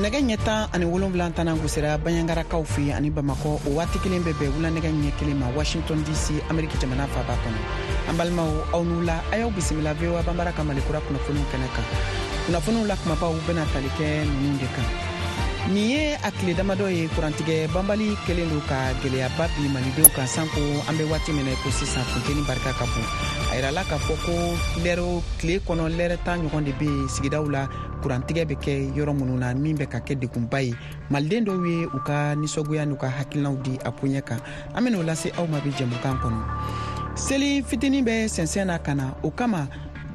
Nɛgɛ ɲɛ 17 tanan gosira Baɲangarakaw fɛ ani Bamakɔ. O waati kelen bɛ bɛn wula nɛgɛ ɲɛ 1 ma Washington DC, Ameriki jamana faaba kɔnɔ. An balimaw, aw ni wula, a y'aw bisimila VOA Banbara ka Malikura kunnafoniw kɛnɛ kan. Kunnafoniw la kumabaw bɛna tali kɛ ninnu de kan. Nin ye a tile damadɔ ye, kurantigɛ banbali kɛlen don ka gwɛlɛyaba bin malidenw kan, sanko an bɛ waati min na ko sisan, funteni barika ka bon. A yirala k'a fɔ ko lɛrɛ tile kɔnɔ, lɛrɛ 10 ɲɔgɔn de bɛ yen sigidaw la kurantigɛ bɛ kɛ yɔrɔ minnu na, min bɛ ka kɛ degunba ye. Maliden dɔw ye u ka nisɔngoya n'u ka hakilinaw di a koɲɛ kan. An bɛn'o lase aw ma bi jɛmukan kɔnɔ. Seli fitinin bɛ sɛnsɛn na ka na, o kama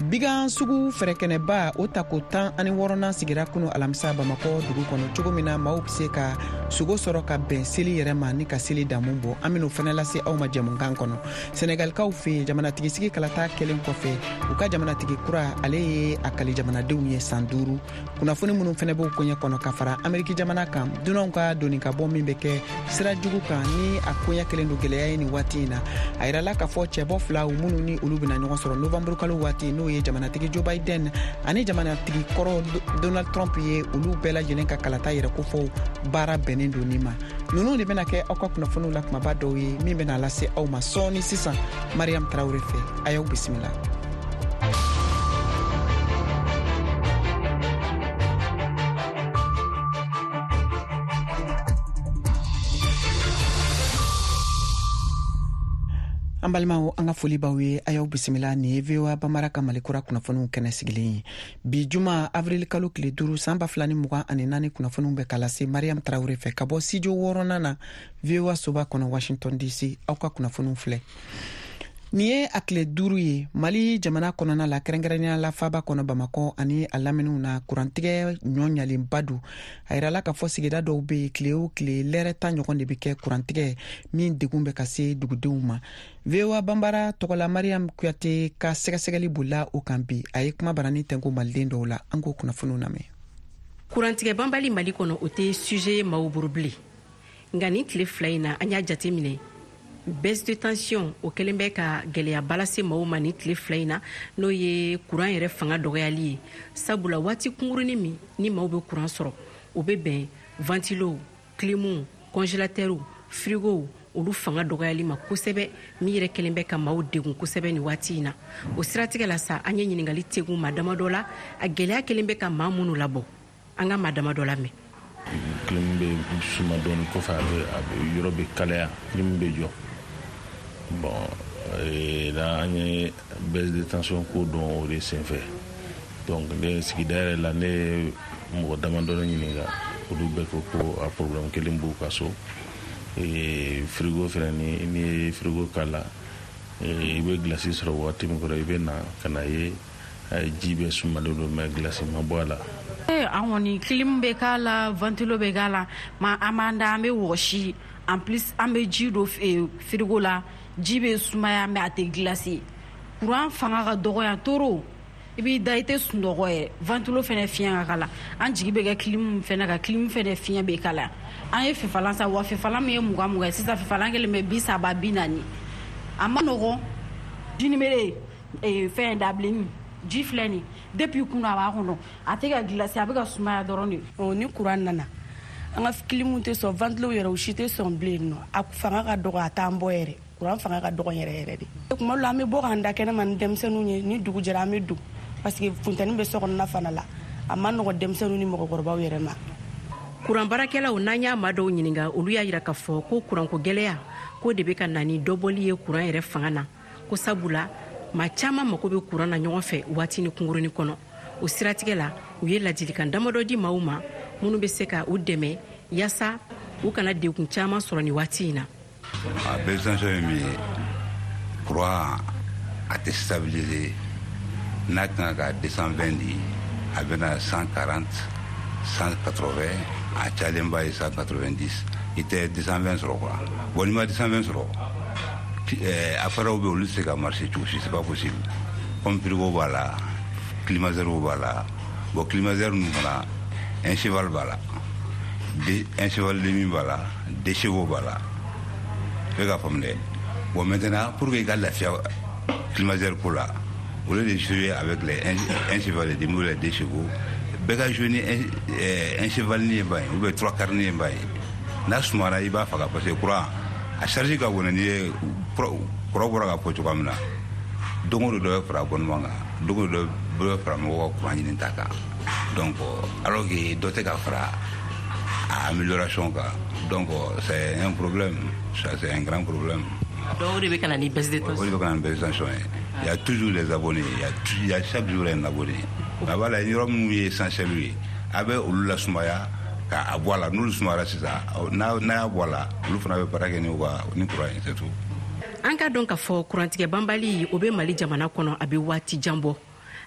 bigan sugu fɛrɛkɛnɛba o tako 16nan sigira kunu alamisa Bamakɔ dugu kɔnɔ, cogo min na maaw bɛ se ka sogo sɔrɔ ka bɛn seli yɛrɛ ma ni ka seli damu bɔ. An bɛn'o fɛnɛ lase aw ma jɛmukan kɔnɔ. Sɛnɛgalikaw fɛ yen, jamanatigisigi kalata kɛlen kɔfɛ, u ka jamanatigi kura, ale ye a kali jamanadenw ye san 5. Kunnafoni minnu fɛnɛ b'o koɲɛ kɔnɔ, ka fara Ameriki jamana kan, dunanw ka doni ka bɔ min bɛ kɛ sira jugu kan, ni a koɲɛ kɛlen don gwɛlɛya ye nin waati in na. A yirala k'a fɔ cɛbɔ filaw minnu ni olu bɛna ɲɔgɔn sɔrɔ novanburu kalo waati, n'o ye jamanatigi Joe Biden ani jamanatigi kɔrɔ Donald Trump ye, olu bɛɛ lajɛlen ka kalata yɛrɛ kofɔw baara bɛnnen don nin ma. Ninnu de bɛna kɛ aw ka kunnafoniw la kumaba dɔw ye min bɛna lase aw ma sɔɔni sisan Mariam Tarawele fɛ. A y'aw bisimila. An balimaw, an ka foli b'aw ye, a y'aw bisimila. Nin ye VOA Bamara ka Malikura kunnafoniw kɛnɛ sigilen ye. Bi juma, avril kalo tile 5, san 2024, kunnafoniw bɛ ka lase Mariam Tarawele fɛ ka bɔ studio wɔɔrɔnan na, VOA soba kɔnɔ, Washington DC. Aw ka kunnafoniw filɛ. Nin ye a tile 5 ye, Mali jamana kɔnɔna la, kɛrɛnkɛrɛnnenya la faaba kɔnɔ Bamakɔ ani a laminiw na, kurantigɛ ɲɔ ɲalenba don. A yirala k'a fɔ sigida dɔw bɛ yen, tile o tile lɛrɛ 10 ɲɔgɔn de bɛ kɛ kurantigɛ min degun bɛ ka se dugudenw ma. VOA Banbara tɔgɔla Mariam Kuyate ka sɛgɛsɛgɛli bolila o kan bi. A ye kuma barani tɛnko maliden dɔw la. An k'o kunnafoniw lamɛn. Kurantigɛ banbali Mali kɔnɔ, o tɛ sujet ye maaw bolo bilen. Nka nin tile 2 in na, an y'a jate minɛ, baisse de tension o kɛlen bɛ ka gɛlɛyaba lase maaw ma nin tile 2 in na, n'o ye kuran yɛrɛ fanga dɔgɔyali ye. Sabula waati kunkurunin min ni maaw bɛ kuran sɔrɔ, o bɛ bɛn ventilow, climuw, congélateurw, frigow, olu fanga dɔgɔyali ma kosɛbɛ, min yɛrɛ kɛlen bɛ ka maaw degun kosɛbɛ nin waati in na. O siratigɛ la sa, an ye ɲininkali tegun maa damadɔ la, a gɛlɛya kɛlen bɛ ka maa minnu labɔ. An ka maa damadɔ lamɛn. Clim bɛ suma dɔɔni, kɔfɛ a bɛ yɔrɔ bɛ kalaya, clim bɛ jɔ. Bon, la an ye baisse de tension ko dɔn o de senfɛ. Donc ne sigida yɛrɛ la, ne ye mɔgɔ damadɔni ɲininka, olu bɛɛ ko ko a problème kelen b'u ka so. Frigo fɛnɛ, ni n'i ye frigo k'a la, i bɛ glace sɔrɔ waati min kɔrɔ, i bɛ na ka na ye ji bɛɛ sumalen don, mais glace ma bɔ a la. An kɔni, clim bɛ k'a la, ventilo bɛ k'a la, ma an b'an da, an bɛ wɔsi. En plus, an bɛ ji don frigo la, ji bɛ sumaya, mais a tɛ glace. Courant fanga ka dɔgɔ yan toro, i b'i da, i tɛ sunɔgɔ yɛrɛ. Ventilo fɛnɛ fiɲɛ ka kala. An jigi bɛ kɛ clim fɛnɛ kan, clim fɛnɛ fiɲɛ bɛ kala. An ye fifalan san wa, fifalan min ye 20 20 ye, sisan fifalan kelen bɛ 30, 40. A ma nɔgɔn. Jinimere fɛn dabilenni ji filɛ nin, depuis kunu a b'a kɔnɔ, a tɛ ka glace, a bɛ ka sumaya dɔrɔn de. Ni courant nana, an ka clim tɛ sɔn, ventilo yɛrɛ, o si tɛ sɔn bilen nɔ. A fanga ka dɔgɔ, a t'an bɔ yɛrɛ. Courant fanga ka dɔgɔ yɛrɛ yɛrɛ de. Tuma dɔ la, an bɛ bɔ k'an da kɛnɛma ni denmisɛnninw ye. Ni dugu jɛra, an bɛ don, parce que funteni bɛ so kɔnɔna fana la. A ma nɔgɔ denmisɛnninw ni mɔgɔkɔrɔbaw yɛrɛ ma. Kuran baarakɛlaw, n'an y'a maa dɔw ɲininka, olu y'a yira k'a fɔ ko kuranko gɛlɛya ko de bɛ ka na ni dɔbɔli ye kuran yɛrɛ fanga na, ko sabula maa caman mako bɛ kuran na ɲɔgɔn fɛ waati ni kunkurunin kɔnɔ. O siratigɛ la, u ye ladilikan damadɔ di maaw ma minnu bɛ se ka u dɛmɛ yaasa u kana degun caman sɔrɔ nin waati in na. A baisse tension ye min ye, courant a tɛ stabiliser. N'a kan ka 220 di, a bɛna 140, 180, a cayalenba ye 190. I tɛ 220 sɔrɔ quoi. Bon, n'i ma 220 sɔrɔ, appareil bɛ, olu tɛ se ka marcher cogo si, c'est pas possible, comme frigo b'a la, climatiseur b'a la. Bon, climatiseur ninnu fana, un cheval b'a la, un cheval demi b'a la, deux chevaux b'a la, i bɛ ka faamu dɛ. Bon, maintenant, pour que i ka lafiya climatiseur ko la, au lieu de jouer avec les un cheval et demi ou les deux chevaux, Bɛɛ ka jouer ni un cheval ni ye ban ye, ou bien trois quarts ni ye ban ye. N'a sumara, i b'a faga, parce que courant a charge ka bon. Ni ye kɔrɔ bɔra ka fɔ cogoya min na, don o don dɔ bɛ fara abonnement kan, don o don dɔ bɛ fara mɔgɔw ka courant ɲini ta kan. Donc alors que dɔ tɛ ka fara a amélioration kan, donc c'est un problème, ça, c'est un grand problème. Donc o de bɛ ka na ni baisse de tension. O de bɛ ka na ni baisse de tension ye. Il y a toujours des abonnés, il y a chaque jour un abonné. A b'a la, yɔrɔ minnu ye essentiel ye, a bɛ olu lasumaya k'a bɔ a la. N'olu sumayara sisan, n'a y'a bɔ a la, olu fana bɛ baara kɛ ni u ka ni courant ye, c'est tout. An ka dɔn k'a fɔ kurantigɛ banbali, o bɛ Mali jamana kɔnɔ, a bɛ waati jan bɔ.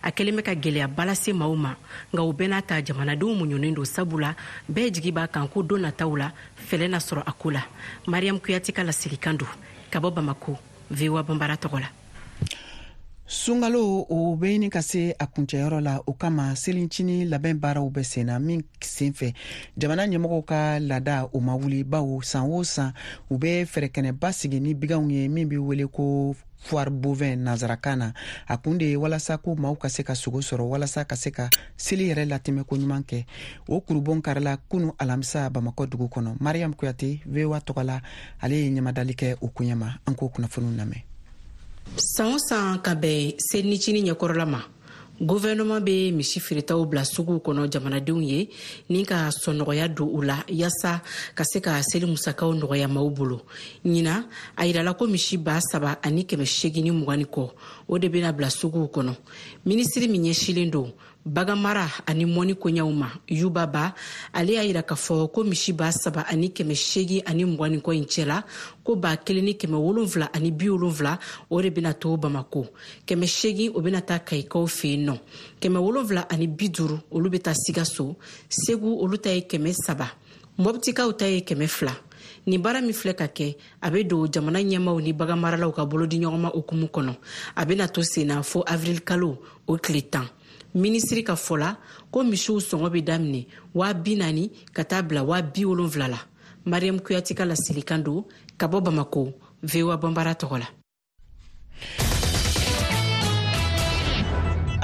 A kɛlen bɛ ka gɛlɛyaba lase maaw ma, nka o bɛɛ n'a ta, jamanadenw muɲunen don, sabula bɛɛ jigi b'a kan ko don nataw la, fɛlɛ na sɔrɔ a ko la. Mariam Kuyate ka laselikan don ka bɔ Bamako, VOA Banbara tɔgɔ la. Sunkalo, o bɛ ɲini ka se a kuncɛyɔrɔ la. O kama, selincinin labɛn baaraw bɛ sen na. Min senfɛ, jamana ɲɛmɔgɔw ka laada, o ma wuli, bawo san o san, u bɛ fɛrɛkɛnɛba sigi ni biganw ye, min bɛ wele ko foire bovin nanzarakan na. A kun de ye walasa ko maaw ka se ka sogo sɔrɔ, walasa ka se ka seli yɛrɛ latɛmɛ ko ɲuman kɛ. O kurubon karila kunu alamisa Bamakɔ dugu kɔnɔ. Mariam Kuyate, VOA tɔgɔ la, ale ye ɲamadali kɛ o koɲɛ ma. An k'o kunnafoniw lamɛn. San o san, ka bɛn selinicinin ɲɛkɔrɔla ma, guvɛrɛnɛman bɛ misi feeretaw bila suguw kɔnɔ jamanadenw ye, ni ka sɔnɔgɔya don u la, yaasa ka se ka seli musakaw nɔgɔya maaw bolo. Ɲina, a yirala ko misi 3820 ni kɔ, o de bɛna bila suguw kɔnɔ. Minisiri min ɲɛsilen don baganmara ani mɔni koɲɛw ma, Yuba Ba, ale y'a yira k'a fɔ ko misi 3820 ni kɔ in cɛla, ko 1770, o de bɛna to Bamako, 800, o bɛna taa Kayikaw fɛ yen nɔ, 750, olu bɛ taa Sikaso, Segu, olu ta ye 300, Mɔbitikaw ta ye 200. Nin baara min filɛ ka kɛ, a bɛ don jamana ɲɛmaw ni baganmaralaw ka bolodiɲɔgɔnma hukumu kɔnɔ. A bɛna to sen na fo avril kalo o tile 10. Minisiri ka fɔ la, ko misiw sɔngɔ bɛ daminɛ 40 000 ka taa bila 70 000 la. Mariam Kuyati ka laselikan don ka bɔ Bamako, VOA Banbara tɔgɔ la.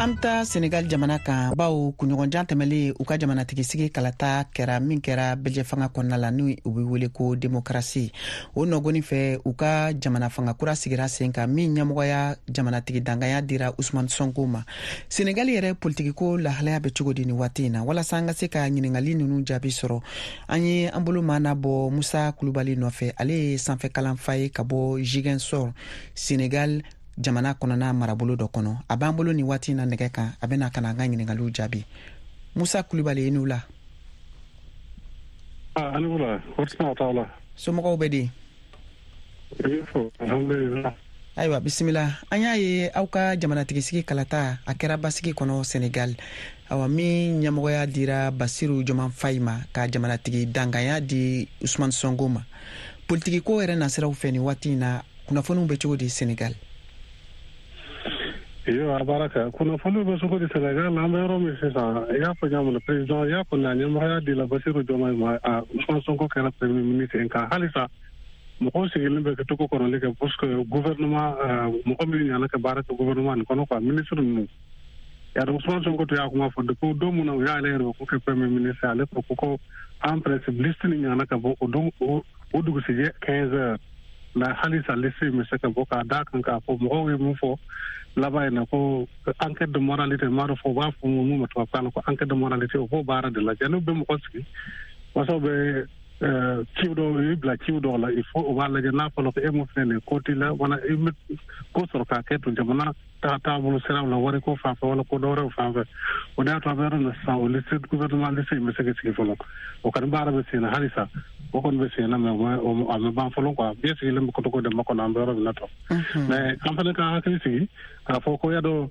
An bɛ taa Senegal jamana kan, bawo kunɲɔgɔnjan tɛmɛlen, u ka jamanatigisigi kalata kɛra, min kɛra bɛjɛ fanga kɔnɔna la, ni u bɛ wele ko demokarasi. O nɔgɔni fɛ, u ka jamana fanga kura sigira sen kan, min ɲɛmɔgɔya jamanatigi danganya dira Usman Sonko ma. Senegal yɛrɛ politikiko lahalaya bɛ cogo di ni waati in na? Walasa an ka se ka ɲiningali nunu jaabi sɔrɔ, an ye an bolo maana bɔ Musa Kulubali nɔfɛ. Ale ye sanfɛ kalanfa ye ka bɔ Ziguinchor, Senegal jamana kɔnɔna marabolo dɔ kɔnɔ. A b'an bolo nin waati na nɛgɛ kan. A bɛna ka na an ka ɲiningaliw jaabi. Musa Kulubali, i n'u la. Somɔgɔw bɛ di? Ayiwa, bisimila. An y'a ye aw ka jamanatigisigi kalata, a kɛra basigi kɔnɔ Senegal, awa, min ɲɛmɔgɔya dira Basiru Joman Fayi ma, ka jamanatigi danganya di Usman Sonko ma. Politikiko yɛrɛ nasiraw fɛ, nin waati in na, kunnafoniw bɛ cogo di Senegal? Iyo, a baraka. Kunnafoniw bɛ cogo di Senegal? An bɛ yɔrɔ min sisan, i y'a fɔ ɲa min na, président i y'a fɔ a ɲɛmɔgɔya di la Basiru Diomaye ma, a Ousmane Sonko kɛra premier ministre. Nka halisa mɔgɔw sigilen bɛ ka to kɔnɔli kɛ, parce que gouvernement, mɔgɔ min ɲana ka baara kɛ gouvernement nin kɔnɔ quoi, ministre ninnu yàrá. Ousmane Sonko to y'a kuma fɔ depuis don mun na u y'ale yɛrɛ ko kɛ premier ministre, ale ko en principe liste ni ɲana ka bɔ o don, o dugusijɛ 15 heures. Mais halisa liste in bɛ se ka bɔ, k'a d'a kan k'a fɔ mɔgɔw ye mun fɔ laban in na, ko enquête de moralité, m'a dɔn fɔ u b'a fɔ mun ma tubabukan na ko enquête de moralité, o b'o baara de lajɛ. N'u bɛ mɔgɔ sigi, wasaw bɛ ciw dɔw i bila ciw dɔw la, il faut o b'a lajɛ n'a fɔra ko e mun filɛ nin ye, ko t'i la, wala i bɛ ko sɔrɔ k'a kɛ to jamana taabolo siraw la, wari ko fan fɛ wala ko dɔwɛrɛw fan fɛ. O de y'a to an bɛ yɔrɔ min na sisan, o liste, gouvernement liste in bɛ se ka sigi fɔlɔ. O kɔni baara bɛ sen na halisa, o kɔni bɛ sen na, mais a ma ban fɔlɔ quoi. Bɛɛ sigilen bɛ kotoko de makɔnɔ an bɛ yɔrɔ min na tɔ. Mais an fana ka hakili sigi k'a fɔ ko y'a dɔn,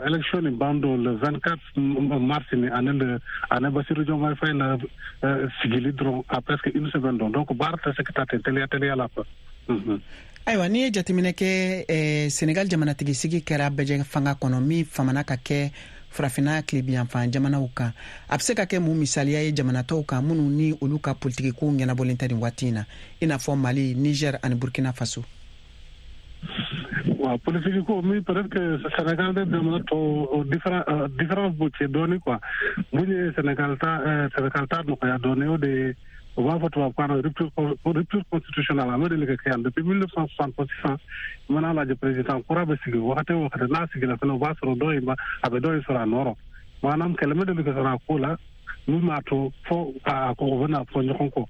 élection nin ban don le 24 mars ni ani le ani Bassirou Diomaye Faye la sigili dɔrɔn à presque une semaine dɔn. Donc baara tɛ se ka taa ten teliya teliya la quoi. Ayiwa, n'i ye jateminɛ kɛ, Senegal jamanatigisigi kɛra bɛjɛ fanga kɔnɔ, min famana ka kɛ Farafinna tilebiyanfan jamanaw kan. A bɛ se ka kɛ mun misaliya ye jamana tɔw kan, minnu ni olu ka politikikow ɲɛnabɔlen tɛ nin waati in na, i n'a fɔ Mali, Niger ani Burkina Faso? Waaw, politique ko mi, peut-être que Sénégal de jamana tɔw différence b'u cɛ dɔɔni quoi. Mun ye Sénégal ta nɔgɔya dɔɔni, o de ye o b'a fɔ tubabukan na rupture constitutionnelle. A ma deli ka kɛ yan depuis 1960 fo sisan. I mana lajɛ, président kura bɛ sigi wagati o wagati, n'a sigila fɛnɛ, o b'a sɔrɔ dɔ in ba a bɛ dɔ in sɔrɔ a nɔ rɔ. Maanaam kɛlɛ ma deli ka sɔrɔ a ko la min b'a to fo a ko o bɛna fɔ ɲɔgɔn kɔ.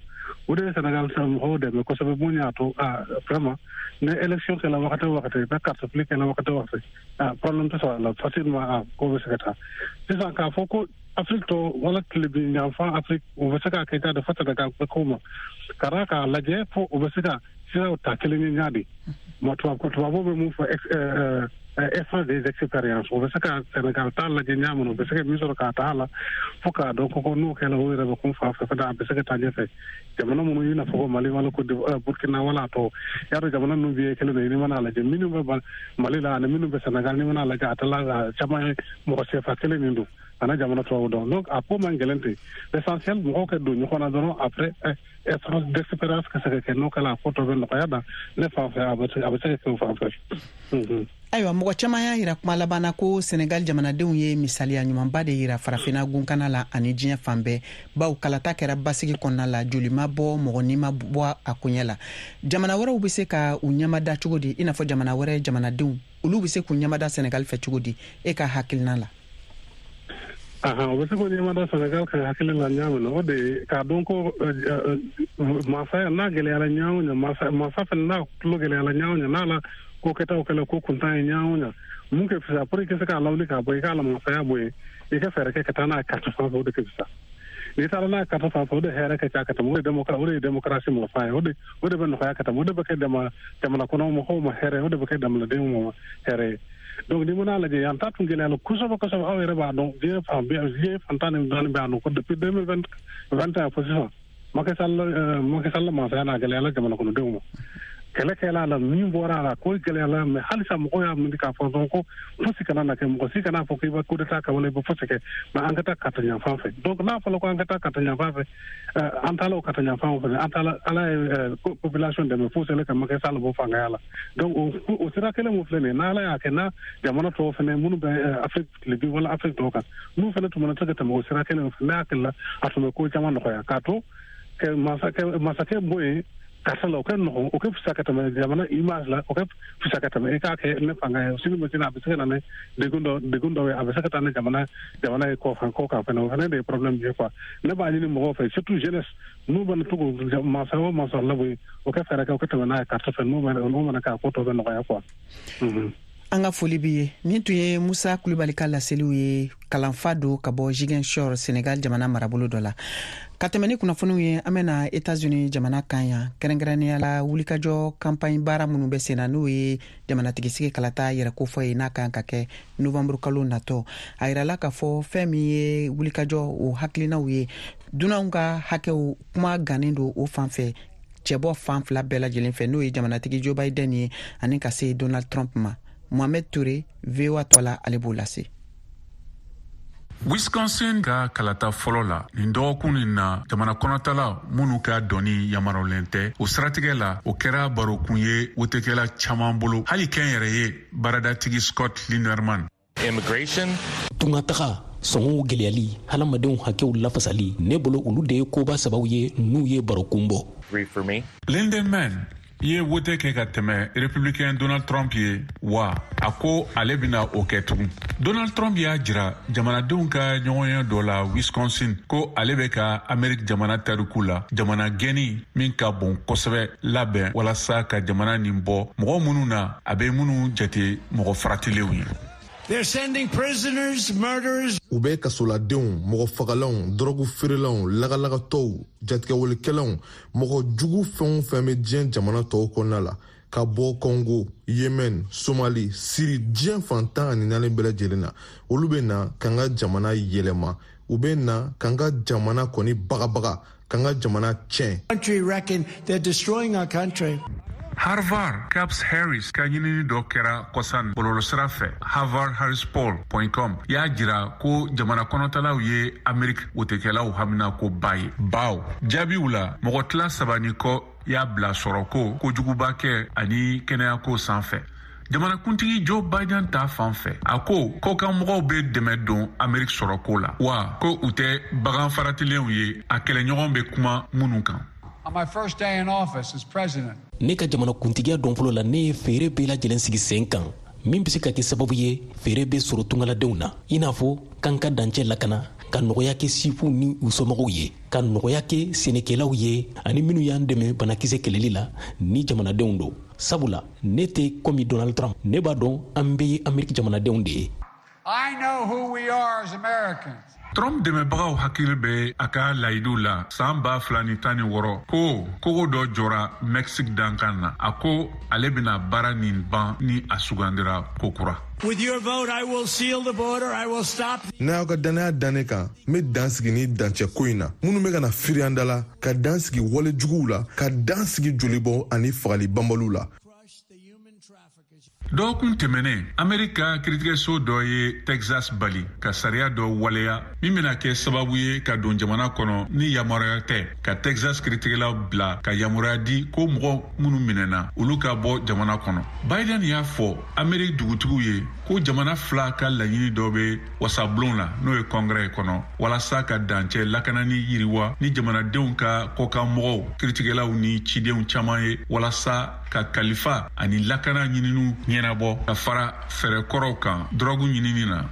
O de ye Sénégal mɔgɔw dɛmɛ kosɛbɛ. Mun y'a to vraiment ni élection kɛla wagati o wagati, bɛ carte fili kɛla wagati o wagati, problème tɛ sɔrɔ a la facilement, a ko bɛ se ka taa. Sisan k'a fɔ ko Afrique tɔ wala tilebin yanfan Afrique, o bɛ se k'a kɛ de fo Sénégal bɛ ko ma ka d'a k'a lajɛ fo o bɛ se ka siraw ta kelen ye ɲa de ma. Tubabu bɛ mun fɔ, échange des expériences, o bɛ se ka Sénégal ta lajɛ ɲa min, o bɛ se ka min sɔrɔ k'a ta a la fo k'a dɔn ko n'o kɛra, o yɛrɛ bɛ kun fan fɛ fɛnɛ, a bɛ se ka taa ɲɛfɛ. Jamana minnu i n'a fɔ ko Mali wala ko Burkina wala a tɔ, y'a dɔn jamana ninnu bɛɛ ye kelen de ye. N'i mana lajɛ, minnu bɛ Mali la ani minnu bɛ Sénégal, n'i mana lajɛ, a tɛ caman ye mɔgɔ sefa kelen min don ana jamana tubabu dɔn. Donc a ko man gɛlɛn ten. L'essentiel, mɔgɔw ka don ɲɔgɔn na dɔrɔn, après échange d'expérience ka se ka kɛ. N'o kɛla, a ko tɔ bɛ nɔgɔya da ne fan fɛ, a bɛ se ka kɛ o fan fɛ. Ayiwa, mɔgɔ caman y'a yira kuma laban na ko Senegal jamanadenw ye misaliya ɲumanba de yira Farafina gunkana la ani diɲɛ fan bɛɛ, baw kalata kɛra basigi kɔnɔna la, joli ma bɔ, mɔgɔ ni ma bɔ a koɲɛ la. Jamana wɛrɛw bɛ se ka u ɲɛmada cogo di? I n'a fɔ jamana wɛrɛ jamanadenw, olu bɛ se k'u ɲɛmada Senegal fɛ cogo di, e ka hakilina la? Ahan, o bɛ se k'o ɲɛmada Senegal ka hakili la ɲa min na, o de ye k'a dɔn ko masaya n'a gɛlɛyara ɲa o ɲa, masa fɛnɛ n'a tulo gɛlɛyara ɲa o ɲa, n'a la ko kɛtaw kɛla ko kuntan ye ɲa o ɲa, mun kɛ fisa pour i ka se k'a lawuli k'a bɔ i k'a la masaya bɔ yen, i ka fɛɛrɛ kɛ ka taa n'a carte fan fɛ, o de ka fisa. N'i taara n'a carte fan fɛ, o de hɛrɛ ka ca ka tɛmɛ. O de ye démocratie masa ye. O de bɛ nɔgɔya ka tɛmɛ, o de bɛ kɛ jamana kɔnɔ mɔgɔw ma hɛrɛ, o de bɛ kɛ jamanadenw ma hɛrɛ ye. Donc ni mana lajɛ, yan ta tun gɛlɛyala kosɛbɛ kosɛbɛ. Aw yɛrɛ b'a dɔn, diɲɛ fan bɛɛ, diɲɛ fan 14 b'a dɔn ko depuis 2021 fo sisan, Macky Sall masaya n'a gɛlɛyala jamana kɔnɔdenw ma. Kɛlɛ kɛla a la, min bɔra a la, ko gɛlɛyala, mais halisa mɔgɔw y'a miiri k'a fɔ dɔrɔn ko fosi kana na kɛ, mɔgɔ si kana fɔ k'i bɛ coup d'état kɛ wala i bɛ fosi kɛ, mais an ka taa carte ɲanfan fɛ. Donc n'a fɔra ko an ka taa carte ɲanfan fɛ, an taala o carte ɲanfan fɛ, an taala, Ala ye population dɛmɛ fo selen ka Macky Sall bɔ fangaya la. Donc o sira kelen mun filɛ nin ye, n'Ala y'a kɛ, n'a jamana tɔw fɛnɛ minnu bɛ Afrique tilebin wala Afrique tɔw kan, n'u fɛnɛ tun mana se ka tɛmɛ o sira kelen fɛ, ne hakili la a tun bɛ ko caman nɔgɔya k'a to masakɛ bɔ yen karisa la. O kɛ nɔgɔn, o kɛ fisa ka tɛmɛ jamana image la, o kɛ fisa ka tɛmɛ i k'a kɛ ne fanga ye sini ma sini a bɛ se ka na ni degun dɔ ye, a bɛ se ka taa ni jamana ye kɔ kan fɛnɛ. O fɛnɛ de ye problème ye quoi. Ne b'a ɲini mɔgɔw fɛ, surtout jeunesse, n'u bɛna to k'o masa o masa labɔ yen, o kɛ fɛɛrɛ kɛ o kɛ tɛmɛ n'a ye carte fɛ. N'o mana kɛ, a ko tɔ bɛ nɔgɔya quoi. An ka foli b'i ye. Nin tun ye Musa Kulubali ka laseliw ye, kalanfa don ka bɔ Ziguinchor, Senegal jamana marabolo dɔ la. Ka tɛmɛ ni kunnafoniw ye, an bena Etats-Unis jamana kan yan, kɛrɛnkɛrɛnnenya la wulikajɔ campagne baara minnu bɛ senna, n'o ye jamanatigisigi kalata yɛrɛ kofɔ ye, n'a kan ka kɛ novanburu kalo natɔ. A yirala k'a fɔ fɛn min ye wulikajɔ o hakilinaw ye, dunanw ka hakɛw kuma gannen don o fan fɛ, cɛbɔ fan fila bɛɛ lajɛlen fɛ, n'o ye jamanatigi Joe Biden ye ani ka se Donald Trump ma. Mohamed Touré, VOA tɔ la, ale b'o lase. Wisconsin ka kalata fɔlɔ la nin dɔgɔkun nin na, jamana kɔnɔtala minnu ka dɔnni yamaruyalen tɛ, o siratigɛ la, o kɛra barokun ye wotekɛla caaman bolo, hali kɛn yɛrɛ ye baaradatigi Scott Linerman. Immigration. Tungataga sɔngɔw gwɛlɛyali, hadamadenw hakɛw lafasali, ne bolo olu de ye koba sabaw ye n'u ye barokun bɔ. For me. Lindenman ye wote kɛ ka tɛmɛ Républicain Donald Trump ye wa a ko ale bena o kɛ tugun. Donald Trump y'a jira jamanadenw ka ɲɔgɔnye dɔ la Wisconsin ko ale bɛ ka Amerik jamana tariku la jamana gɛnni min ka bon kosɛbɛ labɛn walasa ka jamana nin bɔ mɔgɔ minnu na a bɛ minnu jate mɔgɔ faratilenw ye. They're sending prisoners, murderers. U bɛ kasoladenw, mɔgɔ fagalanw, dɔrɔgu feerelanw, lagalagatɔw, jatigɛwalikɛlanw, mɔgɔ jugu fɛn o fɛn bɛ diɲɛ jamana tɔw kɔnɔna la, ka bɔ Kɔngo, Yemen, Somali, Siri, diɲɛ fan 14 bɛɛ lajɛlen na, olu bɛ na k'an ka jamana yɛlɛma, u bɛ na k'an ka jamana kɔni bagabaga, k'an ka jamana tiɲɛ. Country reckon they're destroying our country. Harvard Caps Harris ka ɲinini dɔ kɛra kɔsan bɔlɔlɔsira fɛ, harvardharrispoll.com, y'a jira ko jamana kɔnɔtalaw ye Amerik wotekɛlaw haminako ba ye, baw jaabiw la mɔgɔ tila saba ni kɔ y'a bila sɔrɔko, kojugubakɛ ani kɛnɛyako sanfɛ. Jamanakuntigi Joe Biden ta fan fɛ, a ko kɔkanmɔgɔw bɛ dɛmɛ don Ameriki sɔrɔko la, wa ko u tɛ bagan faratilenw ye a kɛlɛɲɔgɔn bɛ kuma minnu kan. Ne ka jamanakuntigiya don fɔlɔ la, ne ye feere bɛɛ lajɛlen sigi sen kan min bɛ se ka kɛ sababu ye feere bɛ sɔrɔ tungaladenw na, i n'a fɔ k'an ka dancɛ lakana, ka nɔgɔya kɛ sifinw ni u somɔgɔw ye, ka nɔgɔya kɛ sɛnɛkɛlaw ye ani minnu y'an dɛmɛ banakisɛ kɛlɛli la ni jamanadenw don. Sabula ne tɛ komi Donald Trump, ne b'a dɔn an bɛɛ ye Ameriki jamanadenw de ye. I know who we are as Americans. Trump dɛmɛbagaw hakili bɛ a ka layidu la san 2016 ko kogo dɔ jɔra Mexique dankan na. A ko ale bɛna baara nin ban ni a sugandira kokura. With your vote, I will seal the border. I will stop. N'a y'aw ka dannaya da ne kan, n bɛ dan sigi ni dancɛ ko in na. Minnu bɛ ka na firi an da la, ka dan sigi wale juguw la, ka dan sigi jolibɔ ani fagali banbaliw la. Dɔgɔkun tɛmɛnen, Amerika kiritigɛso dɔ ye Texas bali ka sariya dɔ waleya min bɛna kɛ sababu ye ka don jamana kɔnɔ ni yamaruya tɛ, ka Texas kiritigɛlaw bila ka yamaruya di ko mɔgɔ minnu minɛna, olu ka bɔ jamana kɔnɔ. Biden y'a fɔ Ameriki dugutigiw ye ko jamana fila ka laɲini dɔ bɛ wasabulon la, n'o ye kɔngrɛ kɔnɔ, walasa ka dancɛ lakanani yiriwa ni jamanadenw ka kɔkanmɔgɔw, kiritigɛlaw ni cidenw caman ye, walasa ka kalifa ani lakana ɲininiw ɲɛnabɔ, ka fara fɛɛrɛ kɔrɔw kan dɔrɔgu ɲinini na.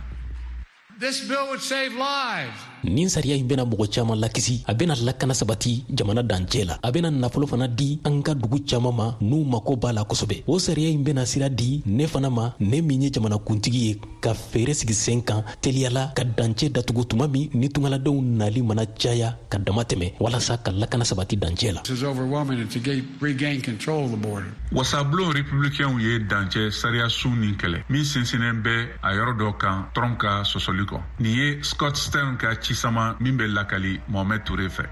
This bill would save lives. Nin sariya in bɛna mɔgɔ caman lakisi, a bɛna lakana sabati jamana dancɛ la, a bɛna nafolo fana di an ka dugu caman ma n'u mako b'a la kosɛbɛ. O sariya in bɛna sira di ne fana ma, ne min ye jamanakuntigi ye, ka feere sigi sen kan teliyala ka dancɛ datugu tuma min ni tungaladenw nali mana caya ka dama tɛmɛ, walasa ka lakana sabati dancɛ la. Wasabulon republicainw ye dancɛ sariya sun nin kɛlɛ min sinsinnen bɛ a yɔrɔ dɔ kan Trump ka sɔsɔli kɔ. Nin ye Scott Stern ka cisama min bɛ lakali Mohamed Touré fɛ.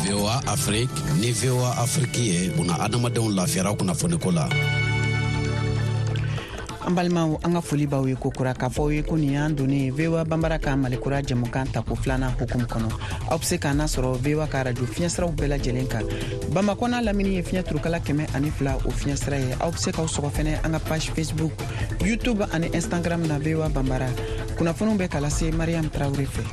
VOA Afrique ni VOA Afrique ye buna adamadenw lafiyara kunnafoniko la. An balimaw, an ka foli b'aw ye kokura k'a fɔ aw ye ko nin y'an donnen VOA Banbara ka Malikura jɛmukan tako filanan hukumu kɔnɔ. Aw be se k'an nasɔrɔ VOA ka radio fiɲɛsiraw bɛɛ lajɛlen kan. Bamakɔ n'a lamini ye fiɲɛ turukala 102 o fiɲɛsira ye. Aw be se k'aw sɔgɔ fɛnɛ an ka page Facebook, YouTube ani Instagram na VOA Banbara. Kunnafoniw bɛ ka lase Mariam Traore fɛ.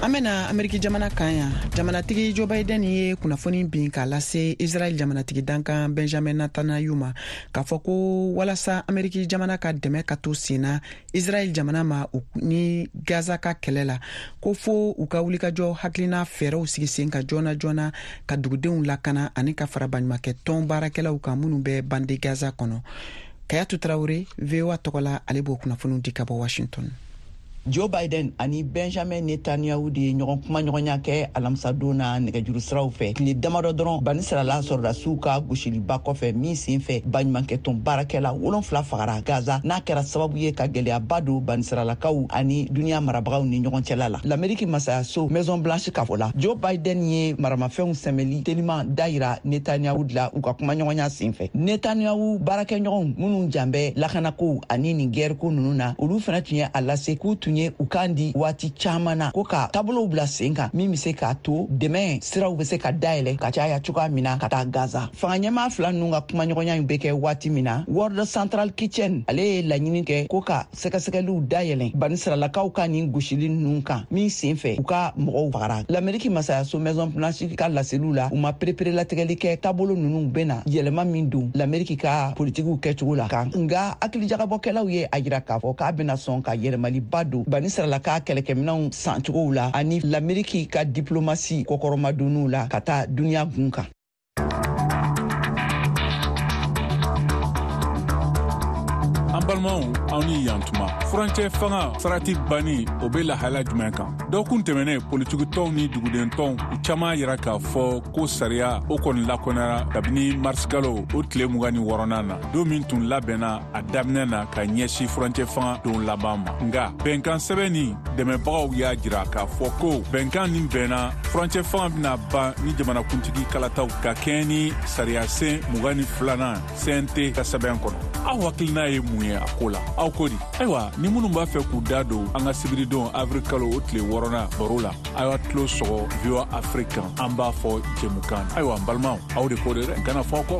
An bena Ameriki jamana kan yan. Jamanatigi Joe Biden ye kunnafoni bin k'a lase Israel jamanatigi dankan Benjamin Netanyahu ma, k'a fɔ ko walasa Ameriki jamana ka dɛmɛ ka to sen na Israel jamana ma ni Gaza ka kɛlɛ la, ko fo u ka wulikajɔ hakilina fɛɛrɛw sigi sen kan joona joona ka dugudenw lakana ani ka fara baɲumankɛ tɔn baarakɛlaw kan minnu bɛ bande Gaza kɔnɔ. Kayatu Traore, VOA tɔgɔ la, ale b'o kunnafoniw di ka bɔ Washington. Joe Biden ani Benjamin Netanyahu de ye ɲɔgɔn kumaɲɔgɔnya kɛ alamisadon na nɛgɛjuru siraw fɛ, tile damadɔ dɔrɔn banisirala sɔrɔdasiw ka gosiliba kɔfɛ min sen fɛ baɲumankɛtɔn baarakɛla 7 fagara Gaza, n'a kɛra sababu ye ka gɛlɛyaba don banisiralakaw ani duniya marabagaw ni ɲɔgɔn cɛla la. Lameriki masayaso Maison Blanche ka fɔ la, Joe Biden ye maramafɛnw sɛmɛli teliman dayira Netanyahu la u ka kumaɲɔgɔnya sen fɛ. Netanyahu baarakɛɲɔgɔnw minnu jan bɛ lakanakow ani nin gɛriko ninnu na, olu fana tun ye a lase k'u tun ye u kan di waati caman na ko ka taabolow bila sen kan min bɛ se k'a to dɛmɛ siraw bɛ se ka dayɛlɛ ka caya cogoya min na ka taa Gaza. Fanga ɲɛmaa fila ninnu ka kumaɲɔgɔnya in bɛ kɛ waati min na, World Central Kitchen ale ye laɲini kɛ ko ka sɛgɛsɛgɛliw dayɛlɛ banisiralakaw ka nin gosili ninnu kan min sen fɛ u ka mɔgɔw fagara. Lameriki masayaso Maison Blanche ka laseliw la, u ma pereperelatigɛli kɛ taabolo ninnu bɛna yɛlɛma min don Lameriki ka politikiw kɛcogo la kan, nka hakilijagabɔkɛlaw ye a jira k'a fɔ k'a bɛna sɔn ka yɛlɛmaliba don banisiralaka kɛlɛkɛminɛnw sancogow la ani Lameriki ka diplomasi kɔkɔrɔmadonniw la ka taa duniya gun kan. An Balimaw, aw ni yantuma. Furancɛ fanga sarati banni, o be lahala jumɛn kan? Dɔgɔkun tɛmɛnen, politikitɔnw ni dugudentɔnw, u caman yira k'a fɔ ko sariya o kɔni lakɔnɛra kabini marisikalo o tile 26nan na, don min tun labɛnna a daminɛ na ka ɲɛsin furancɛ fanga don laban ma. Nga bɛnkan sɛbɛn ni dɛmɛbagaw y'a jira k'a fɔ ko bɛnkan nin bɛnna furancɛ fanga bɛna ban ni jamanakuntigi kalataw ka kɛɲɛ ni sariyasen 22nan CNT ka sɛbɛn kɔnɔ. Aw hakilina ye mun ye a ko la? Aw ko di? Ayiwa, ni minnu b'a fɛ k'u da don an ka sibiridon avril kalo o tile 6nan baro la, aw y'a tulo sɔgɔ VOA Afrique kan, an b'a fɔ jɛmukan. Ayiwa, n balimaw, aw de ko de dɛ, kana fɔ kɔ.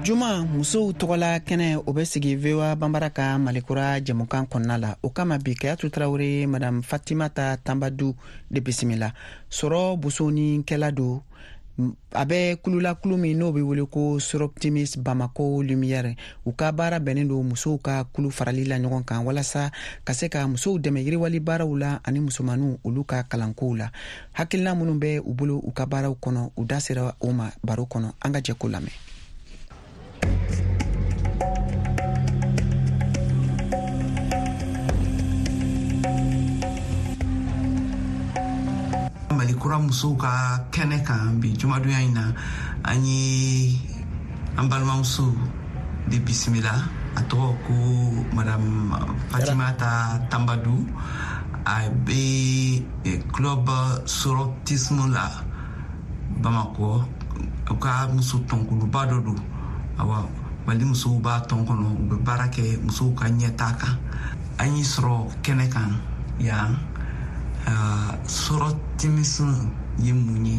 Juma musow tɔgɔla kɛnɛ, o bɛ sigi VOA Banbara ka Malikura jɛmukan kɔnɔna la. O kama bi, Kayatu Tarawele, Madame Fatimata Tambadu de bisimila. Sɔrɔ bosonikɛla don, a bɛ kulula, kulu min n'o bɛ wele ko Soroptimist Bamako Lumière. U ka baara bɛnnen don musow ka kulu farali la ɲɔgɔn kan walasa ka se ka musow dɛmɛ yiriwali baaraw la ani musomaninw olu ka kalankow la. Hakilina minnu bɛ u bolo u ka baaraw kɔnɔ, u da sera o ma baro kɔnɔ. An ka jɛ ko lamɛn. Mali Kura musow ka kɛnɛ kan bi jumadonya in na, an ye an balimamuso de bisimila. A tɔgɔ ko Madame Fatimata Tambadu. A bɛ club Soroptimisme la Bamakɔ, u ka muso tɔnkuluba dɔ don. Awa, Mali musow b'a tɔn kɔnɔ, u bɛ baara kɛ musow ka ɲɛtaa kan. An y'i sɔrɔ kɛnɛ kan yan. Soroptimisme ye mun ye?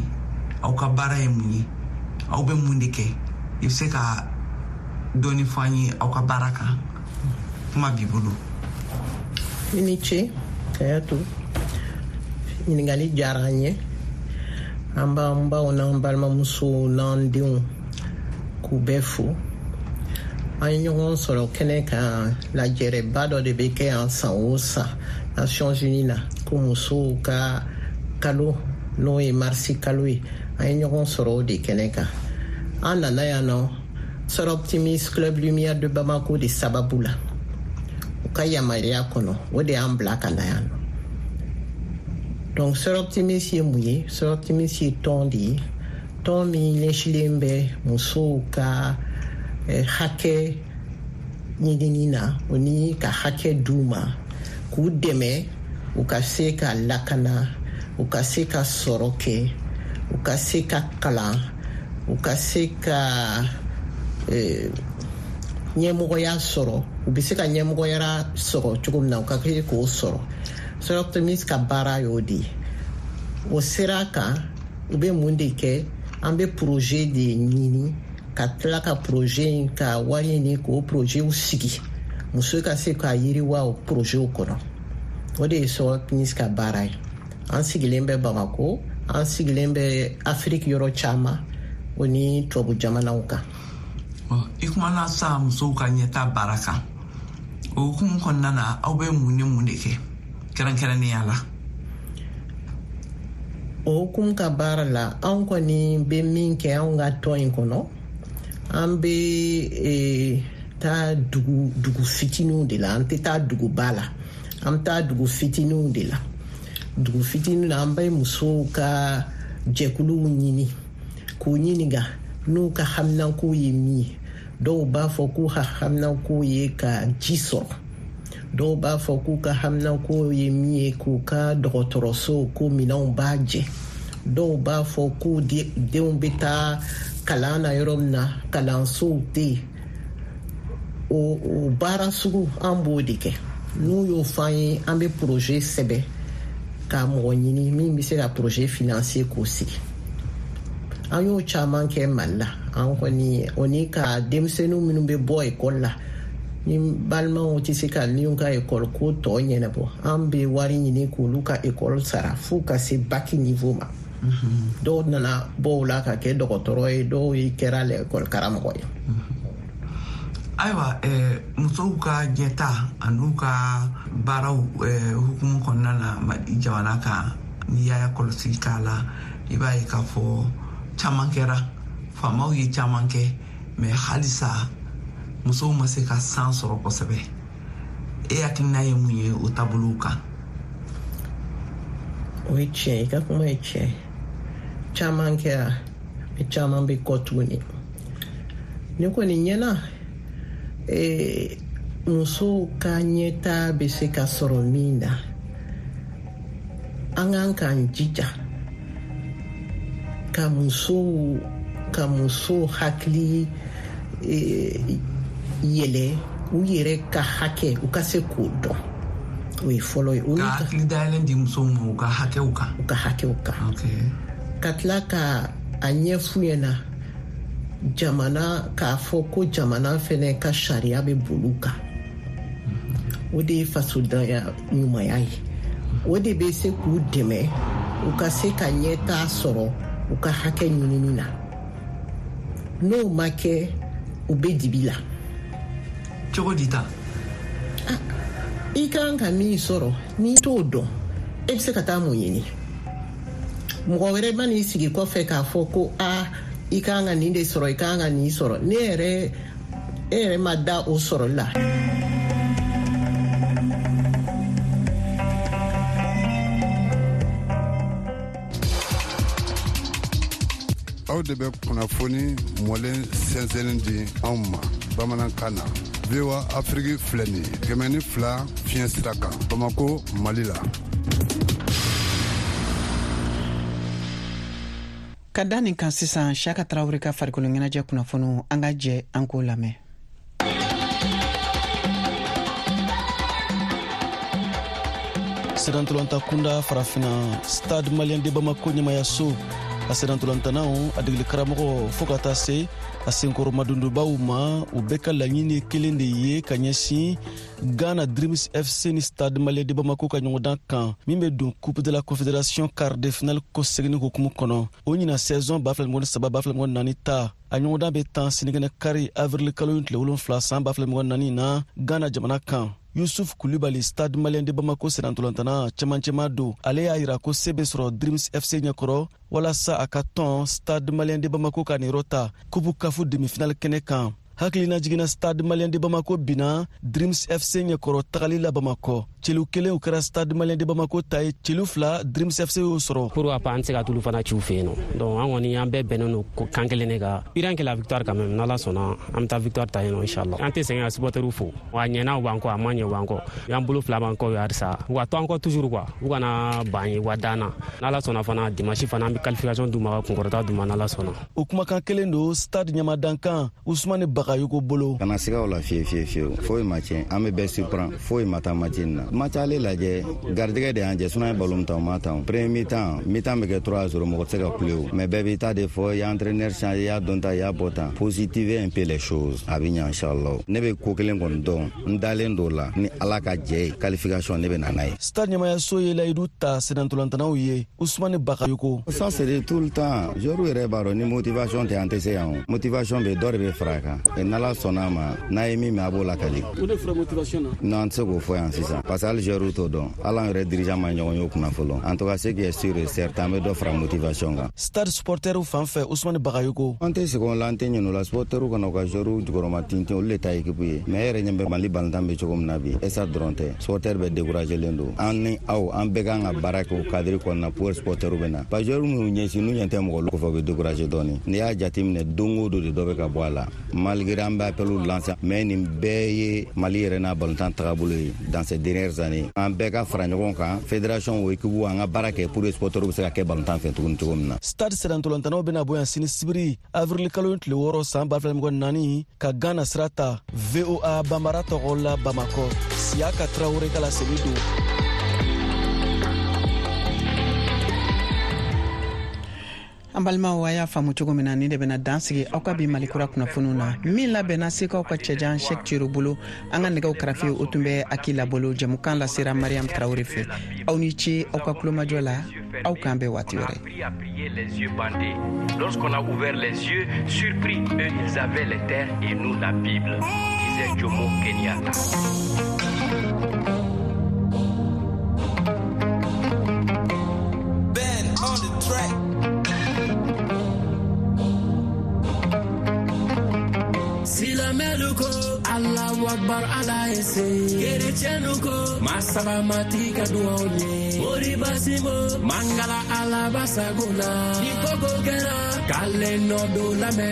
Aw ka baara ye mun ye? Aw bɛ mun de kɛ? I bɛ se ka dɔɔni fɔ an ye aw ka baara kan? Kuma b'i bolo. I ni ce, Kayatu. Ɲininkali diyara an ye. An b'an baw n'an balimamusow n'an denw k'u bɛɛ fo. An ye ɲɔgɔn sɔrɔ kɛnɛ kan. Lajɛrɛba dɔ de bɛ kɛ yan san o san Nations Unies na, ko musow ka kalo, n'o ye marisi kalo ye. An ye ɲɔgɔn sɔrɔ o de kɛnɛ kan. An nana yan nɔ Soroptimist Club Lumière de Bamako de sababu la, u ka yamaruya kɔnɔ, o de y'an bila ka na yan nɔ. Donc Soroptimist ye mun ye? Soroptimist ye tɔn de ye, tɔn min ɲɛsilen bɛ musow ka hakɛ ɲinini na, o ni ka hakɛ d'u ma, k'u dɛmɛ u ka se ka lakana, u ka se ka sɔrɔ kɛ, u ka se ka kalan, u ka se ka ɲɛmɔgɔya sɔrɔ, u bɛ se ka ɲɛmɔgɔya sɔrɔ cogo min na, u ka se k'o sɔrɔ. Soroptimist ka baara y'o de ye. O sera kan, u bɛ mun de kɛ? An bɛ projet de ɲini, ka tila ka projet in ka wari ɲini k'o projetw sigi, muso ka se ka yiriwa o projetw kɔnɔ. O de ye Soroptimist ka baara ye. An sigilen bɛ Bamako, an sigilen bɛ Afiriki yɔrɔ caman, o ni tubabu jamanaw kan. I kumana sa musow ka ɲɛta baara kan. O hukumu kɔnɔna na, aw bɛ mun ni mun de kɛ kɛrɛnkɛrɛnnenya la? O hukumu ka baara la, anw kɔni bɛ min kɛ anw ka tɔn in kɔnɔ, an bɛ taa dugu fitininw de la. An tɛ taa duguba la, an bɛ taa dugu fitininw de la. Dugu fitininw na, an bɛ musow ka jɛkuluw ɲini k'u ɲininka n'u ka haminanko ye min ye. Dɔw b'a fɔ k'u ka haminanko ye ka ji sɔrɔ, dɔw b'a fɔ k'u ka haminanko ye min ye k'u ka dɔgɔtɔrɔso ko minɛnw b'a jɛ, dɔw b'a fɔ k'u denw bɛ taa kalan na yɔrɔ min na, kalansow tɛ yen. O baara sugu, an b'o de kɛ. N'u y'o fɔ an ye, an bɛ projet sɛbɛn ka mɔgɔ ɲini min bɛ se ka projet financer k'o sigi. An y'o caman kɛ Mali la. An kɔni, o ni ka denmisɛnninw minnu bɛ bɔ ekɔli la, ni balimaw tɛ se ka minnu ka ekɔli ko tɔ ɲɛnabɔ, an bɛ wari ɲini k'olu ka ekɔli sara f'u ka se bac niveau ma. Dɔw nana bɔ o la ka kɛ dɔgɔtɔrɔ ye, dɔw ye kɛra ekɔli karamɔgɔ ye. Ayiwa, musow ka ɲɛta an'u ka baaraw hukumu kɔnɔna na Mali jamana kan, n'i y'a kɔlɔsi k'a la, i b'a ye k'a fɔ caman kɛra. Faamaw ye caman kɛ, mais halisa musow ma se ka san sɔrɔ kosɛbɛ. E hakilina ye mun ye o taabolow kan? O ye tiɲɛ, i ka kuma ye tiɲɛ. Caman kɛra, mais caman bɛ kɔ tuguni. Ne kɔni ɲɛna, musow ka ɲɛtaa bɛ se ka sɔrɔ min na, an kan k'an jija ka musow hakili yɛlɛ, u yɛrɛ ka hakɛ, u ka se k'o dɔn. O ye fɔlɔ ye. Ka hakili dayɛlɛn di musow ma u ka hakɛw kan. U ka hakɛw kan, ka tila ka a ɲɛf'u ɲɛna jamana, k'a fɔ ko jamana fɛnɛ ka sariya bɛ boli u kan. O de ye fasodenya ɲumanya ye. O de bɛ se k'u dɛmɛ u ka se ka ɲɛtaa sɔrɔ u ka hakɛ ɲinini na. N'o ma kɛ, u bɛ dibi la. Cogo di ta? I kan ka min sɔrɔ, n'i t'o dɔn, e bɛ se ka taa mun ɲini? Mɔgɔ wɛrɛ ma n'i sigi kɔfɛ k'a fɔ ko a i kan ka nin de sɔrɔ, i kan ka nin sɔrɔ. Ne yɛrɛ, e yɛrɛ ma da o sɔrɔli la. Aw de bɛ kunnafoni mɔlen sɛnsɛnni di anw ma bamanankan na. VOA Afiriki filɛ nin ye, 102 fiɲɛ sira kan, Bamako, Mali la. Ka da nin kan sisan, Siyaka Tarawele ka farikolo ɲɛnajɛ kunnafoniw, an ka jɛ an k'o lamɛn. Sennantolatan kunda farafina, Stade Malien de Bamako ɲɛmayaso, a sennantolatannaw, a degeli karamɔgɔ, fɔɔ ka taa se a senkɔrɔmadondobaw ma, u bɛɛ ka laɲini kelen de ye ka ɲɛsin Ghana Dreams FC ni Stade Malien de Bamako ka ɲɔgɔndan kan, min bɛ don Coupe de la Confédération quart de finale kɔseginni hukumu kɔnɔ. O ɲina saison 2023 2024 ta, a ɲɔgɔndan bɛ tan sinikɛnɛ kari, avril kalo tile 7, san 2024 na, Ghana jamana kan. Yusuf Kulibali, Stade Malien de Bamako sennantolantana cɛmancɛma don, ale y'a yira ko se bɛ sɔrɔ Dreams FC ɲɛkɔrɔ walasa a ka tɔn Stade Malien de Bamako ka niyɔrɔ ta Coupe CAF demi-finale kɛnɛ kan. Hakilina jiginna, Stade Malien de Bamako binna Dreams FC ɲɛkɔrɔ tagali la Bamakɔ. Celu kelen, o kɛra Stade Malien de Bamako ta ye, celu 2, Dreams FC y'o sɔrɔ. Pourquoi pas, an tɛ se ka tulu fana ci u fɛ yen nɔ. Donc an kɔni, an bɛɛ bɛnnen don kan kelen de kan, rien que la victoire quand même. N'Ala sɔnna, an bɛ taa victoire ta yen nɔ, inchallah. An tɛ sɛgɛn ka supporteriw fo. A ɲɛna u b'an kɔ, a ma ɲɛ u b'an kɔ, y'an bolo fila b'an kɔ halisa. U ka to an kɔ toujours quoi, u kana ban ye, u ka dan na. N'Ala sɔnna fana, dimanche fana, an bɛ qualification d'u ma, ka kunkɔrɔta d'u ma, n'Ala sɔnna. O kumakan kelen don Stade ɲamadankan Usumani Bagayogo bolo. Kana siga o la fiye fiye fiyewu, foyi ma tiɲɛ. An bɛ bɛɛ surprend, foyi ma taa match in na. Match ale lajɛ, garijɛgɛ de y'an jɛ. Sinon an ye ballon ta, o ma ta. Premier mi-temps, mi-temps bɛ kɛ 3-0, mɔgɔ tɛ se ka kule o. Mais bɛɛ b'i ta de fɔ, i y'a entraîneur changer, i y'a dɔn ta, i y'a bɔ tan. Positiver un peu les choses, a bɛ ɲɛ inchallah. Ne bɛ ko kelen kɔni dɔn, n dalen d'o la, ni Ala ka jɛ ye, qualification ne bɛ na n'a ye. Stade ɲɛmayaso ye layidu ta sennantolantanaw ye. Usumani Bagayogo. Ça c'est tout le temps, joueur yɛrɛ b'a dɔn, ni motivation tɛ, an tɛ se yan o. Motivation bɛ, dɔ de bɛ fara a kan. N'Ala sɔnna a ma, n'a ye min mɛn, a b'o lakali. O de fɔra motivation na. Non, an tɛ se k'o fɔ yan sisan, parce que hali joueur t'o dɔn, hali an yɛrɛ dirigeant ma ɲɔgɔn ye o kunna fɔlɔ. En tout cas, ce qui est sûr et certain, an bɛ dɔ fara motivation kan. Stade supporteriw fan fɛ, Usumani Bagayogo. An tɛ segin o la, an tɛ ɲinɛ o la. Supporteriw kana u ka joueur jukɔrɔma tintin, olu de ta équipe ye. Mais e yɛrɛ ɲɛ bɛ Mali balontan bɛ cogo min na bi, Stade dɔrɔn tɛ, supporter bɛɛ découragé len don. An ni aw, an bɛɛ kan ka baara kɛ o cadre kɔnɔna pour supporteriw bɛ na, parce que joueur minnu ɲɛsin, n'u ɲɛ tɛ mɔgɔ kɔfɛ, u bɛ découragé dɔɔni. N'i y'a jateminɛ, don o don de dɔ bɛ ka bɔ a la, malgré an bɛ appel lancer. Mais nin bɛɛ ye Mali yɛrɛ n'a balontan tagabolo ye dans ces dernières années. An bɛɛ ka fara ɲɔgɔn kan, fédération o, équipe, an ka baara kɛ pour que supporteriw bɛ se ka kɛ balontan fɛ tuguni cogo min na. Stade sennantolantanaw bɛna bɔ yan sini sibiri, avril kalo tile 6, san 2024, ka Ghana sira ta. VOA Banbara tɔgɔ la, Bamakɔ, Siyaka Tarawele ka laseli don. An balimaw, a y'a faamu cogo min na, nin de bɛna dan sigi aw ka bi Malikura kunnafoniw na, min labɛnna Sekaw ka cɛjan Shɛk Cero bolo. An ka nɛgɛw karafe, o tun bɛ Akila bolo. Jɛmukan lasera Mariam Tarawure fɛ. Aw ni ce aw ka kulomajɔ la. Aw k'an bɛn waati wɛrɛ. Les yeux bandés. Lorsqu'on a ouvert les yeux, surpris, eux, ils avaient les terres et nous la Bible, disait Jomo Kenyatta. Ben on the track. Silamɛlu ko Alahu akbar, Ala ye se. Kerecɛnu ko masaba matigi ka duwaw ye. Moriba Simo Mangala, Ala basago la. Ni koko kɛra k'ale nɔ don lamɛn.